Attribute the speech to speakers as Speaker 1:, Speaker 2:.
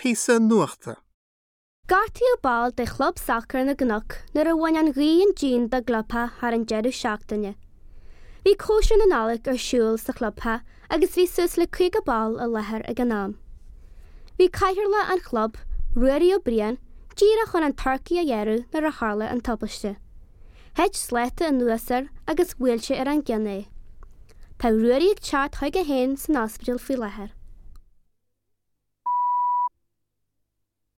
Speaker 1: Píosa nuachta.
Speaker 2: Gortaíodh ball de Chlub Sacair na gCnoc nuair a bhain an ghaoth an díon dá gclubtheach thar an deireadh seachtaine. Bhí cóisir na Nollag ar siúl sa chlubtheach agus bhí suas le 50 ball i láthair ag an am. Bhí cathaoirleach an chlub, Ruairí Ó Briain, díreach chun an turcaí a ghearradh nuair a tharla an tubaiste. Thit sláta anuas air agus bhuail sé ar an gceann é. Tá Ruairí ag teacht chuige féin san ospidéal faoi láthair.